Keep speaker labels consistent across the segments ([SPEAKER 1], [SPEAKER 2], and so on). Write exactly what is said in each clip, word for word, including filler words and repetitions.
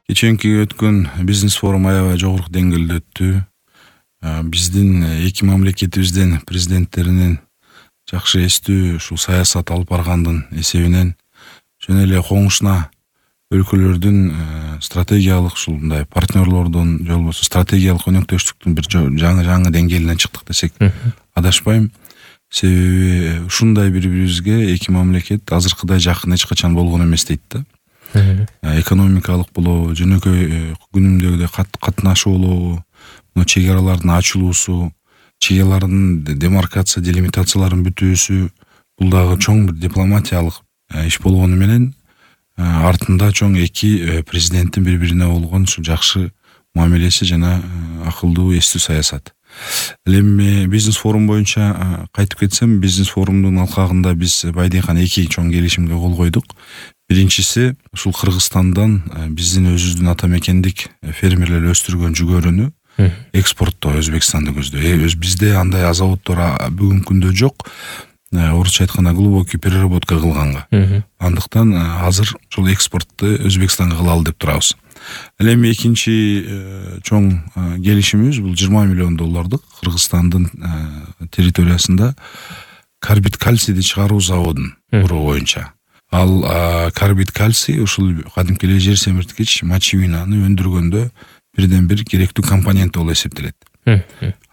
[SPEAKER 1] Кеченки өткөн бизнес форум аябай жогорку деңгээлде өттү. Биздин эки мамлекетибиздин президенттеринин жакшы эстүү ушул саясат алып баргандын эсебинен жөн эле коңушуна өлкөлөрдүн стратегиялык ушул мындай партнерлордун же болбосо стратегиялык өнөктөштүктүн бир жаңы жаңы деңгээлине чыктык десек адашпайм. Себеби ушундай бири бирибизге эки мамлекет азыркыдай жакын эч качан болгон эмес дейт да. Экономикалык болобу, жөнөкөй күнүмдөгүдөй катнашуу болобу, мына чек аралардын ачылуусу, чек аралардын демаркация, делимитацияларын бүтүүсү бул дагы чоң бир дипломатиялык иш болгону менен артында чоң эки президенттин бири-бирине болгон ушу жакшы мамилеси жана акылдуу эстүү саясат. Ал эми бизнес форум боюнча кайтып кетсем, бизнес форумдун алкагында биз Байдыйкан эки чоң келишимге кол койдук. Биринчиси ушул Кыргызстандан биздин өзүбүздүн ата мекендик фермерлер өстүргөн жүгөрүнү экспорттоо Өзбекстанды көздөй. Бизде андай заводдор бүгүнкү күндө жок. Орусча айтканда глубокий переработка кылганга. Андыктан азыр ушул экспортту Өзбекстанга кылалы деп турабыз. Ал эми экинчи чоң келишимибиз бул жыйырма миллион доллардык Кыргызстандын территориясында карбид кальцийди чыгаруу заводун куруу боюнча. Ал карбид кальций ушул кадимки эле жер семирткич мочевинаны өндүргөндө бирден бир керектүү компонент болуп эсептелет.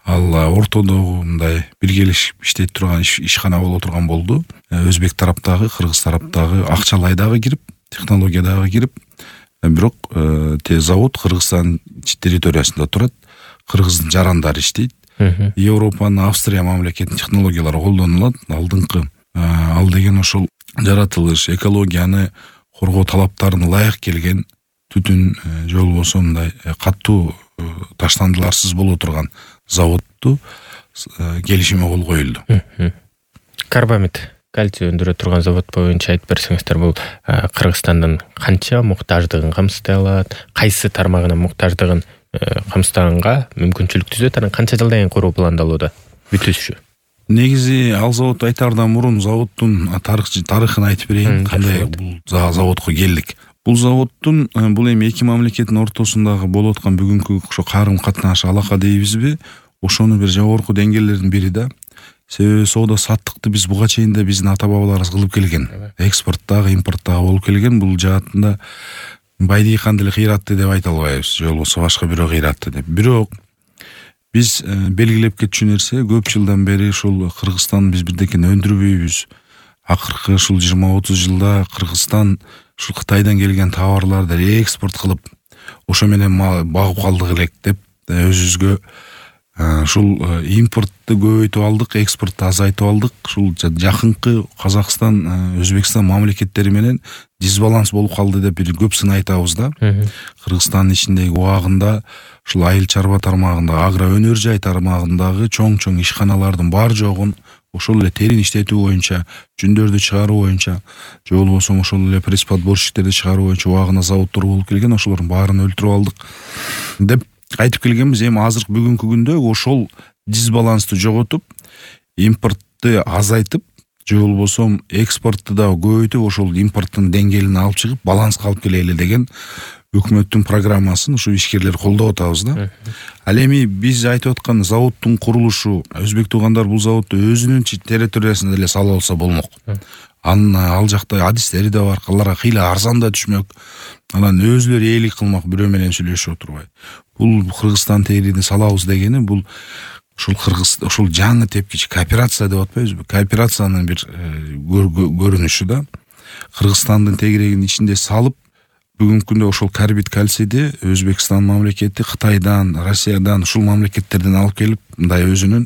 [SPEAKER 1] Ал ортодогу мындай биргелешип иштей турган ишкана боло турган болду. Өзбек тараптагы, кыргыз тараптагы акчалай дагы кирип, технология дагы кирип, бирок завод Кыргызстан территориясында турат. Кыргыздын жарандары иштейт. Европанын, Австрия мамлекетинин технологиялары колдонулат. Алдыңкы ал деген ошол жаратылыш, экологияны коргоо талаптарына ылайык келген түтүн же болбосо мындай катуу таштандыларсыз боло турган заводду келишимге кол коюлду.
[SPEAKER 2] Карбамид кальций өндүрө турган завод боюнча айтып берсеңиздер, бул Кыргызстандын канча муктаждыгын камсытай алат, кайсы тармагына муктаждыгын камсытаганга мүмкүнчүлүк түзөт, анан канча жылдан кийин куруу пландалууда бүтүшү?
[SPEAKER 1] Негизи ал завод айтаардан мурун заводдун тарыхын айтып берейин, кандай бул заводко келдик. Бул заводдун бул эми эки мамлекеттин ортосундагы болуп аткан бүгүнкү ошо карым катнаш алака дейбизби, ошону бир жогорку деңгээлдердин бири да. Себеби соода саттыкты биз буга чейин да биздин ата бабаларыбыз кылып келген. Экспорттагы, импорттагы болуп келген. Бул жаатында Байдыйканды эле кыйратты деп айта албайбыз, же болбосо башка бирөө кыйратты деп. Бирок биз белгилеп кетчү нерсе, көп жылдан бери ушул Кыргызстан биз бирдекени өндүрбөйбүз. Акыркы ушул жыйырма отуз жылда Кыргызстан ушул Кытайдан келген товарларды экспорт кылып, ошо менен багып калдык элек деп өзүбүзгө ушул импортту көбөйтүп алдык, экспортту азайтып алдык. Ушул жакынкы Казакстан, Өзбекстан мамлекеттери менен дисбаланс болуп калды деп бир көп сын айтабыз да. Кыргызстандын ичиндеги убагында ушул айыл чарба тармагында, агро өнөр жай тармагындагы чоң-чоң ишканалардын бар жогун ошол эле терин иштетүү боюнча, жүндөрдү чыгаруу боюнча, же болбосо ошол эле пресс-подборщиктерди чыгаруу боюнча убагында заводдор болуп келген, ошолордун баарын өлтүрүп алдык деп айтып келгенбиз. Эми азыр бүгүнкү күндө ошол дисбалансты жоготуп, импортту азайтып, же болбосо экспортту да көбөйтүп, ошол импорттун деңгээлин алып чыгып, баланска алып келели деген өкмөттүн программасын ушу ишкерлер колдоп атабыз да. Ал эми биз айтып аткан заводдун курулушу, өзбек туугандар бул заводду өзүнүн территориясында эле сала алса болмок. Анын ал жакта адистери да бар, аларга кыйла арзан да түшмөк. Анан өзүлөрү ээлик кылмак, бирөө менен сүйлөшүп отурбай. Бул Кыргызстан терини салабыз дегени бул ушул Кыргыз ушул жаңы тепкич кооперация деп атпайбызбы? Кооперациянын бир көрүнүшү да. Кыргызстандын тегерегинин ичинде салып, бүгүнкү күндө ошол карбид кальцийди Өзбекстан мамлекети, Кытайдан, Россиядан, ушул мамлекеттерден алып келип, мындай өзүнүн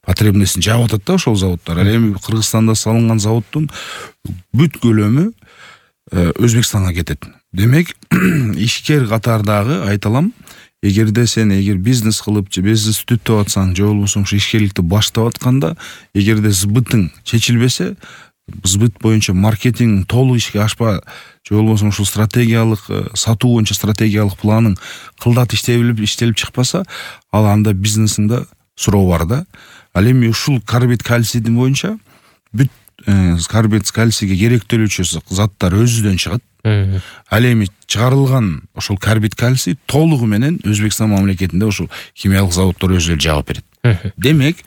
[SPEAKER 1] потребностун жаап атат да ошол заводдор. Ал эми Кыргызстанда салынган заводдун бүт көлөмү Өзбекстанга кетет. Демек, ишкер катардагы айталам, эгерде сен эгер бизнес кылып же бизнес түтүп атсаң, же болбосо ушу ишкерликти баштап атканда, эгерде сбытың чечилбесе, сбыт боюнча маркетинг толук ишке ашпа, же болбосо ушул стратегиялык сатуу боюнча стратегиялык планың кылдат иштелип иштелип чыкпаса, ал анда бизнесиңде суроо бар да. Ал эми ушул карбид кальцийдин боюнча бүт карбид кальцийге керектөлүүчү заттар өзүдөн чыгат. Ал эми чыгарылган ошол карбид кальций толугу менен Өзбекстан мамлекетинде ошол химиялык заводдор өзү эле жаап берет. Демек,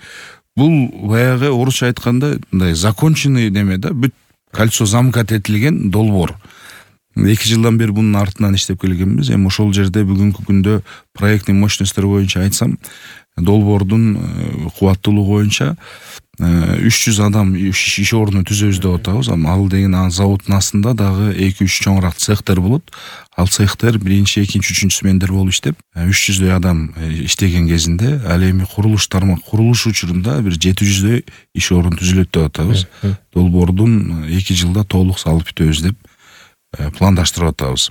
[SPEAKER 1] бул баягы орусча айтканда мындай законченный неме да, бүт кольцо замкат этилген долбоор. Эки жылдан бери бунун артынан иштеп келгенбиз. Эми ошол жерде бүгүнкү күндө проектный мощностьтер боюнча айтсам, долбоордун кубаттуулугу боюнча үч жүз адам иш ордуну түзөбүз деп атабыз. Ал деген заводдун астында дагы эки үч чоңураак цехтер болот. Ал цехтер биринчи, экинчи, үчүнчү смендер болуп иштеп, үч жүздөй адам иштеген кезинде, ал эми курулуш тармак курулуш учурунда бир жети жүздөй иш орун түзүлөт деп атабыз. Долбоордун эки жылда толук салып бүтөбүз деп пландаштырып атабыз.